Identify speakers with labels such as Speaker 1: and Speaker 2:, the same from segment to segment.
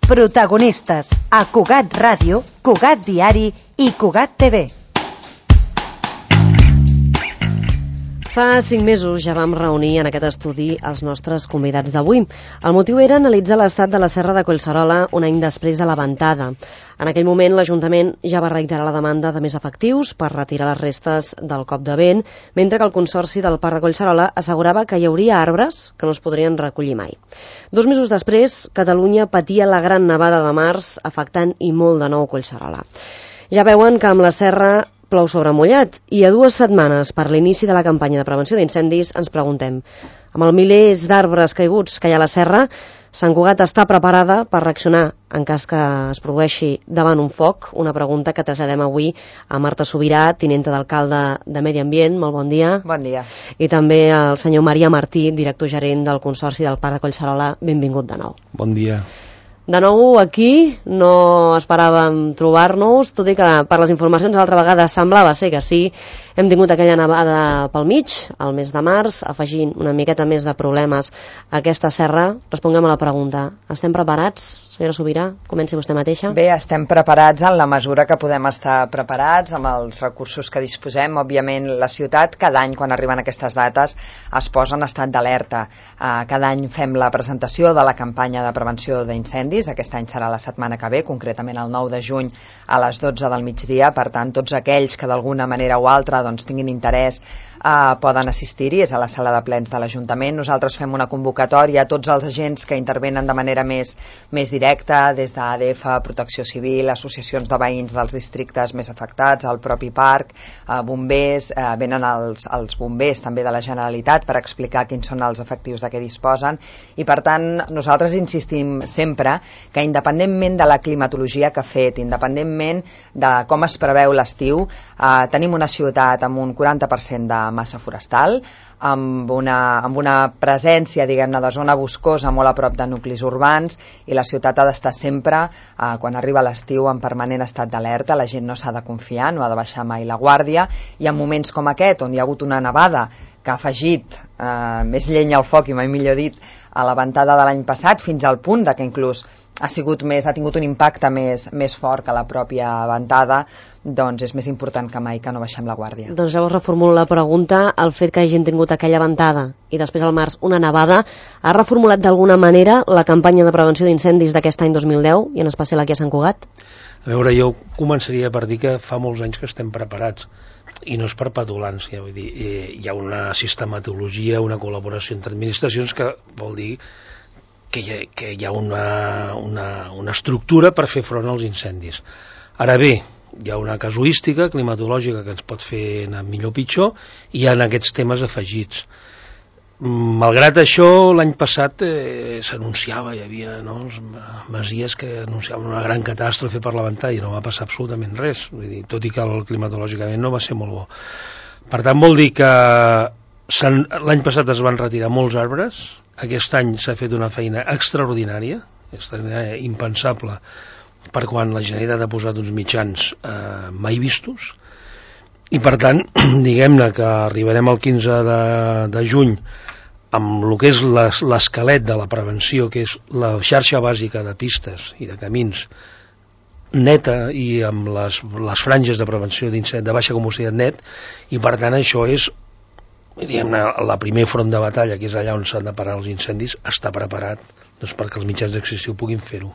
Speaker 1: Protagonistes a Cugat Ràdio, Cugat Diari i Cugat TV.
Speaker 2: Fa 5 mesos ja vam reunir en aquest estudi els nostres convidats d'avui. El motiu era analitzar l'estat de la Serra de Collserola un any després de la ventada. En aquell moment l'Ajuntament ja va reiterar la demanda de més efectius per retirar les restes del cop de vent, mentre que el Consorci del Parc de Collserola assegurava que hi hauria arbres que no es podrien recollir mai. 2 mesos després, Catalunya patia la gran nevada de març, afectant i molt de nou Collserola. Ja veuen que amb la serra plou sobre mullat, i a 2 setmanes per l'inici de la campanya de prevenció d'incendis ens preguntem, amb els milers d'arbres caiguts que hi ha a la serra, Sant Cugat està preparada per reaccionar en cas que es produeixi davant un foc? Una pregunta que traslladem avui a Marta Subirà, tinenta d'alcalde de Medi Ambient. Molt bon dia.
Speaker 3: Bon dia.
Speaker 2: I també al senyor Maria Martí, director gerent del Consorci del Parc de Collserola. Benvingut de nou.
Speaker 4: Bon dia.
Speaker 2: De nou aquí, no esperàvem trobar-nos, tot i que per les informacions l'altra vegada semblava ser que sí. Hem tingut aquella nevada pel mig, al mes de març, afegint una miqueta més de problemes a aquesta serra. Responguem a la pregunta. Estem preparats, senyora Subirà? Comenci vostè mateixa.
Speaker 3: Bé, estem preparats en la mesura que podem estar preparats, amb els recursos que disposem. Òbviament, la ciutat, cada any, quan arriben aquestes dates, es posa en estat d'alerta. Cada any fem la presentació de la campanya de prevenció d'incendis. Aquest any serà la setmana que ve, concretament el 9 de juny a les 12 del migdia. Per tant, tots aquells que d'alguna manera o altra tinguin interès poden assistir-hi. És a la sala de plens de l'Ajuntament. Nosaltres fem una convocatòria a tots els agents que intervenen de manera més directa, des d'ADF, Protecció Civil, associacions de veïns dels districtes més afectats, el propi parc, bombers, venen els bombers també de la Generalitat per explicar quins són els efectius de què disposen, i per tant nosaltres insistim sempre que independentment de la climatologia que ha fet, independentment de com es preveu l'estiu, tenim una ciutat amb un 40% de massa forestal, amb una presència, diguem-ne, de zona boscosa molt a prop de nuclis urbans, i la ciutat ha d'estar sempre, quan arriba l'estiu, en permanent estat d'alerta. La gent no s'ha de confiar, no ha de baixar mai la guàrdia, i en moments com aquest, on hi ha hagut una nevada que ha afegit més llenya al foc, i mai millor dit, a la ventada de l'any passat, fins al punt de que inclús ha tingut un impacte més fort que la pròpia ventada, doncs és més important que mai que no baixem la guàrdia.
Speaker 2: Doncs llavors reformulo la pregunta. El fet que hagin tingut aquella ventada i després al març una nevada ha reformulat d'alguna manera la campanya de prevenció d'incendis d'aquest any 2010, i en especial aquí a Sant Cugat?
Speaker 4: A veure, jo començaria per dir que fa molts anys que estem preparats, i no és per petulància, vull dir, hi ha una sistematologia, una col·laboració entre administracions que vol dir que hi ha una estructura per fer front als incendis. Ara bé, hi ha una casuística climatològica que ens pot fer anar millor o pitjor, i hi ha aquests temes afegits. Malgrat això, l'any passat s'anunciava, hi havia masies que anunciaven una gran catàstrofe per la ventada, i no va passar absolutament res, vull dir, tot i que climatològicament no va ser molt bo. Per tant, vol dir que l'any passat es van retirar molts arbres. Aquest any s'ha fet una feina extraordinària, impensable, per quan la Generalitat ha posat uns mitjans mai vistos, i per tant, diguem-ne que arribarem al 15 de juny amb el que és l'esquelet de la prevenció, que és la xarxa bàsica de pistes i de camins neta, i amb les franges de prevenció d'incendis de baixa combustibilitat net, i per tant això és, diguem-ne, la primer front de batalla, que és allà on s'han de parar els incendis, està preparat perquè els mitjans d'extinció puguin fer-ho.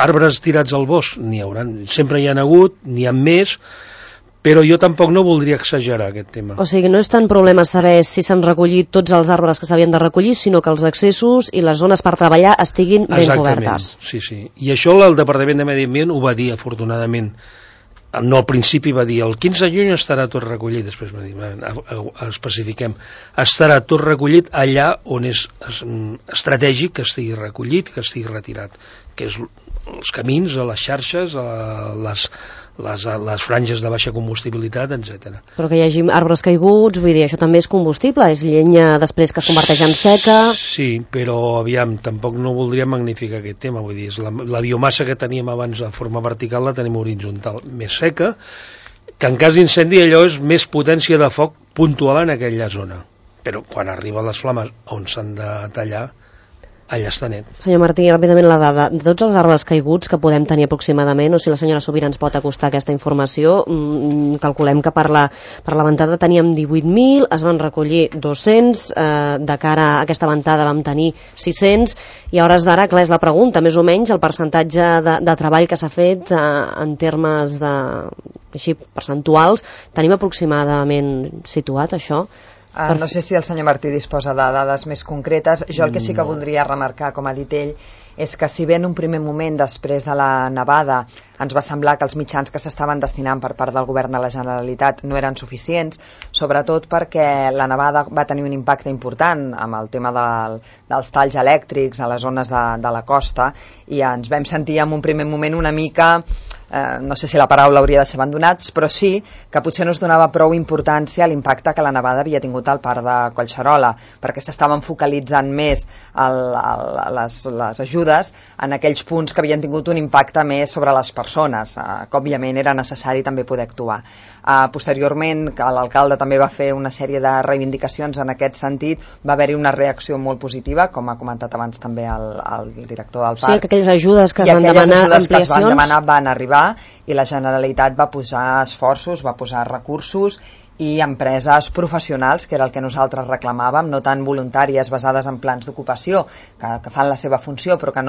Speaker 4: Arbres tirats al bosc n'hi haurà, sempre hi ha hagut, n'hi ha més, però jo tampoc no voldria exagerar aquest tema.
Speaker 2: O sigui, no és tant problema saber si s'han recollit tots els arbres que s'havien de recollir, sinó que els accessos i les zones per treballar estiguin ben cobertes.
Speaker 4: Sí. I això el Departament de Medi Ambient ho va dir, afortunadament. No, al principi va dir el 15 de juny estarà tot recollit, després va dir, especifiquem, estarà tot recollit allà on és estratègic que estigui recollit, que estigui retirat, que és els camins, les xarxes, les franges de baixa combustibilitat, etc.
Speaker 2: Però que hi hagi arbres caiguts, vull dir, això també és combustible, és llenya després que es converteix en seca.
Speaker 4: Sí, però aviam, tampoc no voldria magnificar aquest tema, vull dir, és la biomassa que teníem abans de forma vertical la tenim horitzontal, més seca, que en cas d'incendi allò és més potència de foc puntual en aquella zona, però quan arriben les flames on s'han de tallar, allà està net.
Speaker 2: Senyor Martí, ràpidament la dada. De tots els arbres caiguts que podem tenir aproximadament, o si la senyora Sobirà ens pot acostar aquesta informació, calculem que per la ventada teníem 18.000, es van recollir 200, de cara a aquesta ventada vam tenir 600, i a hores d'ara, clar, és la pregunta, més o menys el percentatge de treball que s'ha fet en termes així percentuals, tenim aproximadament situat això?
Speaker 3: No sé si el senyor Martí disposa de dades més concretes. Jo el que sí que voldria remarcar, com ha dit ell, és que si bé en un primer moment, després de la nevada, ens va semblar que els mitjans que s'estaven destinant per part del govern de la Generalitat no eren suficients, sobretot perquè la nevada va tenir un impacte important amb el tema dels talls elèctrics a les zones de la costa, i ens vam sentir en un primer moment una mica, no sé si la paraula hauria de ser abandonats, però sí que potser no es donava prou importància a l'impacte que la nevada havia tingut al parc de Collserola, perquè s'estaven focalitzant més les ajudes en aquells punts que havien tingut un impacte més sobre les persones, que òbviament era necessari també poder actuar. Posteriorment, l'alcalde també va fer una sèrie de reivindicacions en aquest sentit, va haver-hi una reacció molt positiva, com ha comentat abans també el director del parc.
Speaker 2: Sí, que aquelles ajudes que es van demanar, ampliacions,
Speaker 3: van arribar, i la Generalitat va posar esforços, va posar recursos i empreses professionals, que era el que nosaltres reclamàvem, no tan voluntàries basades en plans d'ocupació, que fan la seva funció però que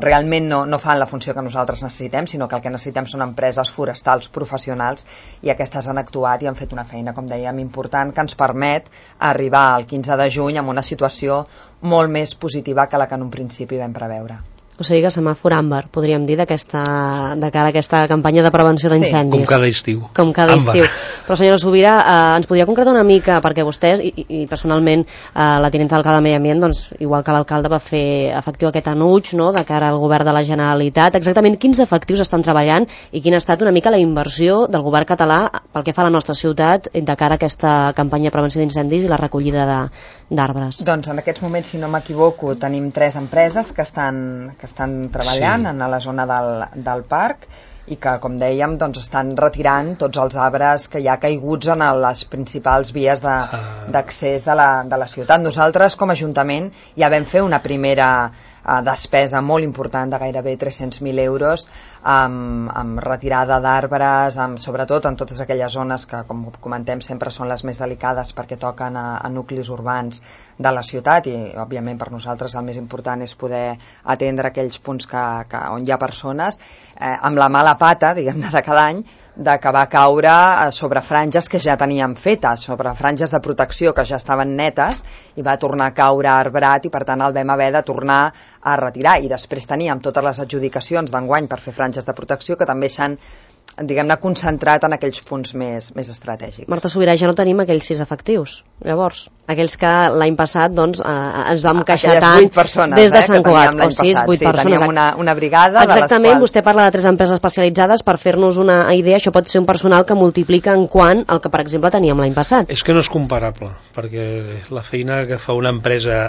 Speaker 3: realment no fan la funció que nosaltres necessitem, sinó que el que necessitem són empreses forestals professionals, i aquestes han actuat i han fet una feina, com dèiem, important, que ens permet arribar al 15 de juny amb una situació molt més positiva que la que en un principi vam preveure.
Speaker 2: O sigui que semàfor àmbar, podríem dir, de cara a aquesta campanya de prevenció d'incendis.
Speaker 4: Com cada estiu.
Speaker 2: Com cada estiu. Però senyora Sobirà, ens podria concretar una mica, perquè vostès, i personalment la tinenta d'alcalde de Medi Ambient, doncs, igual que l'alcalde va fer efectiu aquest anuig, no?, de cara al govern de la Generalitat, exactament quins efectius estan treballant i quina ha estat una mica la inversió del govern català pel que fa a la nostra ciutat de cara a aquesta campanya de prevenció d'incendis i la recollida d'arbres?
Speaker 3: Doncs en aquests moments, si no m'equivoco, tenim 3 empreses que estan treballant en la zona del parc, i que, com dèiem, doncs estan retirant tots els arbres que hi ha caiguts en les principals vies d'accés de la ciutat. Nosaltres, com a Ajuntament, ja vam fer una primera despesa molt important de gairebé 300.000 euros amb retirada d'arbres, sobretot en totes aquelles zones que, com comentem, sempre són les més delicades perquè toquen a nuclis urbans de la ciutat, i òbviament per nosaltres el més important és poder atendre aquells punts on hi ha persones, amb la mala pata, diguem-ne, de cada any, que va caure sobre franges que ja teníem fetes, sobre franges de protecció que ja estaven netes, i va tornar a caure arbrat, i per tant el vam haver de tornar a retirar. I després teníem totes les adjudicacions d'enguany per fer franges de protecció que també s'han, diguem-ne, concentrat en aquells punts més estratègics.
Speaker 2: Marta Sobirà, ja no tenim aquells 6 efectius, llavors, aquells que l'any passat doncs, ens vam queixar tant des de Sant Cugat, o 6, 8 persones.
Speaker 3: Teníem una brigada.
Speaker 2: Exactament, vostè parla de 3 empreses especialitzades. Per fer-nos una idea, això pot ser un personal que multiplica en quant el que, per exemple, teníem l'any passat.
Speaker 4: És que no és comparable, perquè la feina que fa una empresa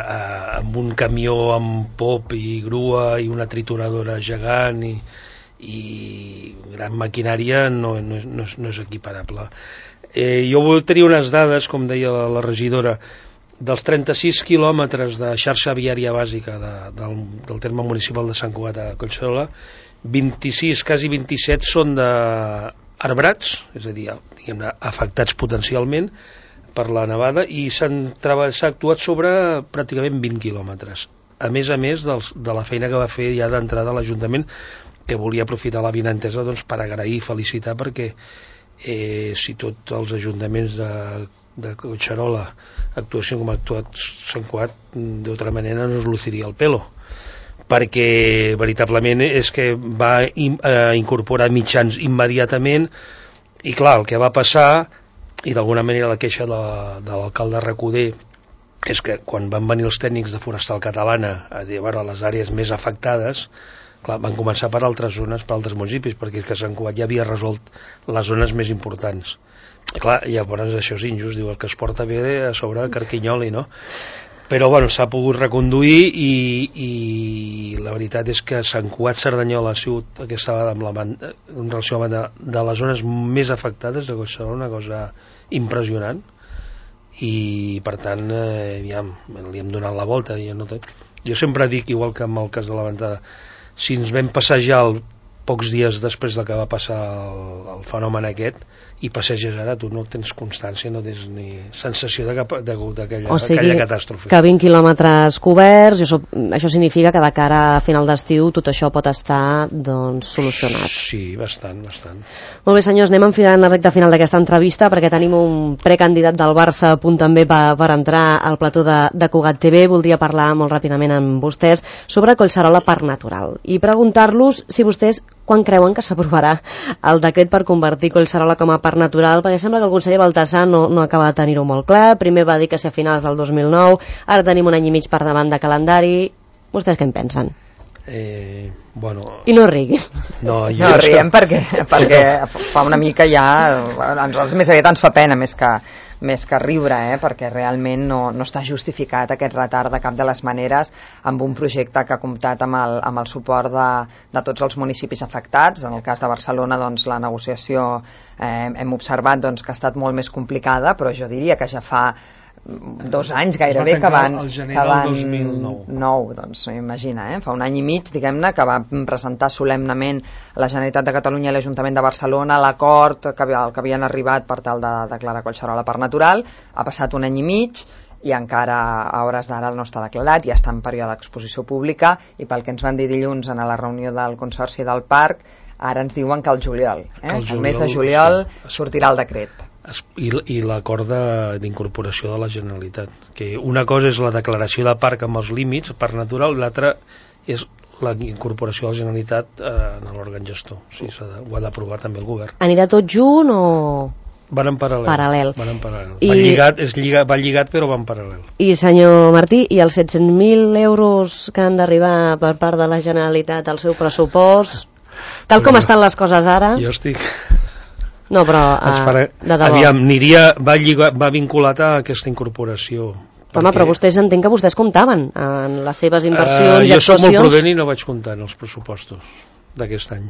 Speaker 4: amb un camió amb pop i grua i una trituradora gegant i gran maquinària no és equiparable. Jo vull tenir unes dades, com deia la regidora, dels 36 quilòmetres de xarxa viària bàsica del terme municipal de Sant Cugat a Collserola, 26, quasi 27 són d'arbrats, és a dir, diguem-ne, afectats potencialment per la nevada, i s'ha actuat sobre pràcticament 20 quilòmetres. A més de la feina que va fer ja d'entrada a l'Ajuntament, que volia aprofitar la vinentesa doncs, per agrair i felicitar, perquè si tots els ajuntaments de Collserola actuessin com ha actuat Sant Cugat, d'altra manera no es luciria el pelo, perquè veritablement és que va incorporar mitjans immediatament, i clar, el que va passar, i d'alguna manera la queixa de l'alcalde Recoder, és que quan van venir els tècnics de Forestal Catalana a dir, bueno, les àrees més afectades, clar, van començar per altres zones, per altres municipis, perquè és que Sant Cugat ja havia resolt les zones més importants. Clar, llavors això és injust, diu, el que es porta bé a sobre carquinyoli, no? Però bueno, s'ha pogut reconduir, i la veritat és que Sant Cugat Cerdanyola ha sigut aquesta vegada en relació amb de les zones més afectades de Collserola, una cosa impressionant, i per tant li hem donat la volta. Jo Jo sempre dic, igual que en el cas de la ventada, si ens vam passejar pocs dies després de que va passar el fenomen aquest, i passeges ara, tu no tens constància, no tens ni sensació d'aquella catàstrofe.
Speaker 2: Que 20 quilòmetres coberts, això significa que de cara a final d'estiu tot això pot estar solucionat.
Speaker 4: Sí, bastant.
Speaker 2: Molt bé, senyors, anem enfilant la recta final d'aquesta entrevista perquè tenim un precandidat del Barça a punt també per entrar al plató de Cugat TV. Voldria parlar molt ràpidament amb vostès sobre Collserola Parc Natural i preguntar-los si vostès quan creuen que s'aprovarà el decret per convertir Collserola com a parc natural, perquè sembla que el conseller Baltasar no acaba de tenir-ho molt clar. Primer va dir que si a finals del 2009, ara tenim un any i mig per davant de calendari. Vostès què en pensen? I no riguin.
Speaker 3: No riguem perquè fa una mica ja, més aviat ens fa pena més que riure, perquè realment no està justificat aquest retard de cap de les maneres amb un projecte que ha comptat amb el suport de tots els municipis afectats. En el cas de Barcelona, la negociació hem observat que ha estat molt més complicada, però jo diria que ja fa 2 anys gairebé que van...
Speaker 4: El gener del 2009.
Speaker 3: Imagina, fa un any i mig, diguem-ne, que va presentar solemnement la Generalitat de Catalunya i l'Ajuntament de Barcelona l'acord que havien arribat per tal de declarar Collserola parc natural. Ha passat un any i mig i encara a hores d'ara no està declarat, ja està en període d'exposició pública, i pel que ens van dir dilluns en la reunió del Consorci del Parc, ara ens diuen que el juliol, el mes de juliol sortirà el decret.
Speaker 4: I l'acord d'incorporació de la Generalitat, que una cosa és la declaració de parc amb els límits, parc natural, i l'altra és la incorporació de la Generalitat en l'òrgan gestor. Sí, ho ha d'aprovar també el govern.
Speaker 2: Anirà tot junt o...?
Speaker 4: Van en paral·lel. Va lligat, però va en paral·lel.
Speaker 2: I senyor Martí, i els 700.000 euros que han d'arribar per part de la Generalitat al seu pressupost, tal com estan les coses ara...
Speaker 4: Jo estic...
Speaker 2: No, però de debò.
Speaker 4: Aviam, va vinculat a aquesta incorporació.
Speaker 2: Home, però vostès entenc que vostès comptaven en les seves inversions i
Speaker 4: actuacions.
Speaker 2: Jo soc
Speaker 4: molt prudent i no vaig comptar en els pressupostos d'aquest any,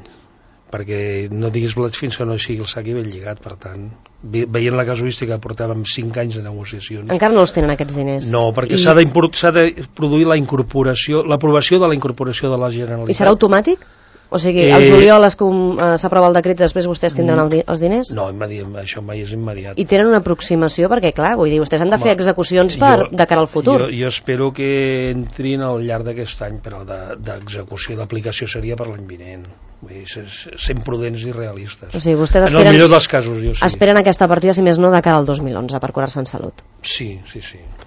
Speaker 4: perquè no diguis blats fins que no sigui el sac i ben lligat. Per tant, veient la casuística, portàvem 5 anys de negociacions.
Speaker 2: Encara no els tenen aquests diners?
Speaker 4: No, perquè s'ha de produir la incorporació, l'aprovació de la incorporació de la Generalitat.
Speaker 2: I serà automàtic? O sigui, al juliol s'aprova el decret i després vostès tindran els diners?
Speaker 4: No, això mai és immediat.
Speaker 2: I tenen una aproximació? Perquè, clar, vull dir, vostès han de fer execucions de cara al futur.
Speaker 4: Jo espero que entrin al llarg d'aquest any, però d'execució, d'aplicació seria per l'any vinent. Vull dir, sent prudents i realistes.
Speaker 2: O sigui, vostès
Speaker 4: en el millor dels casos, jo sí.
Speaker 2: Esperen aquesta partida, si més no, de cara al 2011, per curar-se en salut.
Speaker 4: Sí.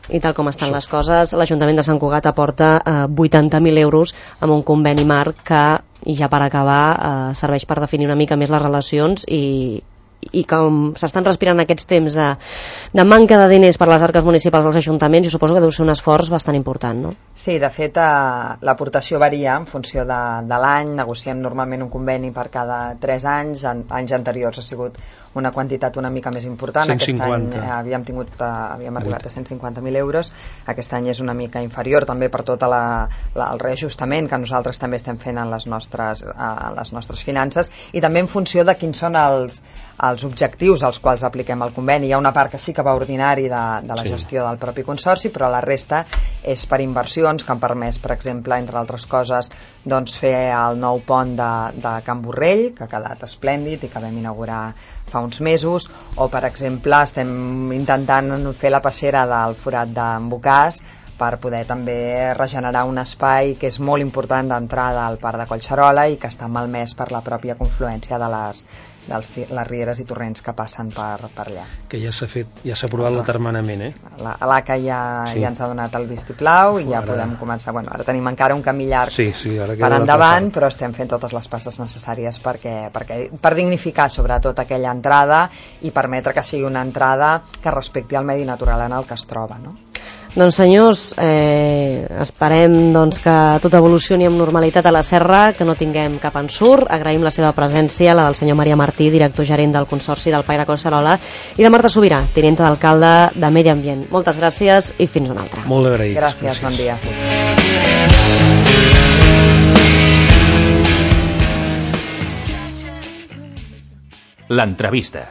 Speaker 2: I tal com estan les coses, l'Ajuntament de Sant Cugat aporta 80.000 euros amb un conveni marc que, i ja per acabar, serveix per definir una mica més les relacions i com s'estan respirant aquests temps de manca de diners per les arques municipals dels ajuntaments, jo suposo que deu ser un esforç bastant important, no?
Speaker 3: Sí, de fet l'aportació varia en funció de l'any. Negociem normalment un conveni per cada 3 anys. Anys anteriors ha sigut una quantitat una mica més important.
Speaker 4: 150.
Speaker 3: Aquest any havíem arribat a 150.000 euros. Aquest any és una mica inferior també per tot el reajustament que nosaltres també estem fent en les nostres finances, i també en funció de quins són els objectius als quals apliquem el conveni. Hi ha una part que sí que va ordinari de la gestió del propi consorci, però la resta és per inversions que han permès, per exemple, entre altres coses, fer el nou pont de Can Borrell, que ha quedat esplèndid i que vam inaugurar fa uns mesos, o per exemple estem intentant fer la passera del forat d'en Bocàs per poder també regenerar un espai que és molt important d'entrada al Parc de Collserola i que està malmès per la pròpia confluència de les rieres i torrents que passen per allà.
Speaker 4: Que ja s'ha fet, ja s'ha aprovat l'atermenament,
Speaker 3: l'ACA ja ens ha donat el vistiplau i ja podem començar. Ara tenim encara un camí llarg per endavant, però estem fent totes les passes necessàries per dignificar sobretot aquella entrada i permetre que sigui una entrada que respecti el medi natural en el que es troba, no?
Speaker 2: Doncs senyors, esperem que tot evolucioni amb normalitat a la serra, que no tinguem cap ensurt. Agraïm la seva presència, la del senyor Maria Martí, director gerent del Consorci del Parc de Collserola, i de Marta Sobirà, tinenta d'alcalde de Medi Ambient. Moltes gràcies i fins una altra.
Speaker 4: Molt agraït.
Speaker 3: Gràcies, bon dia.
Speaker 5: L'entrevista.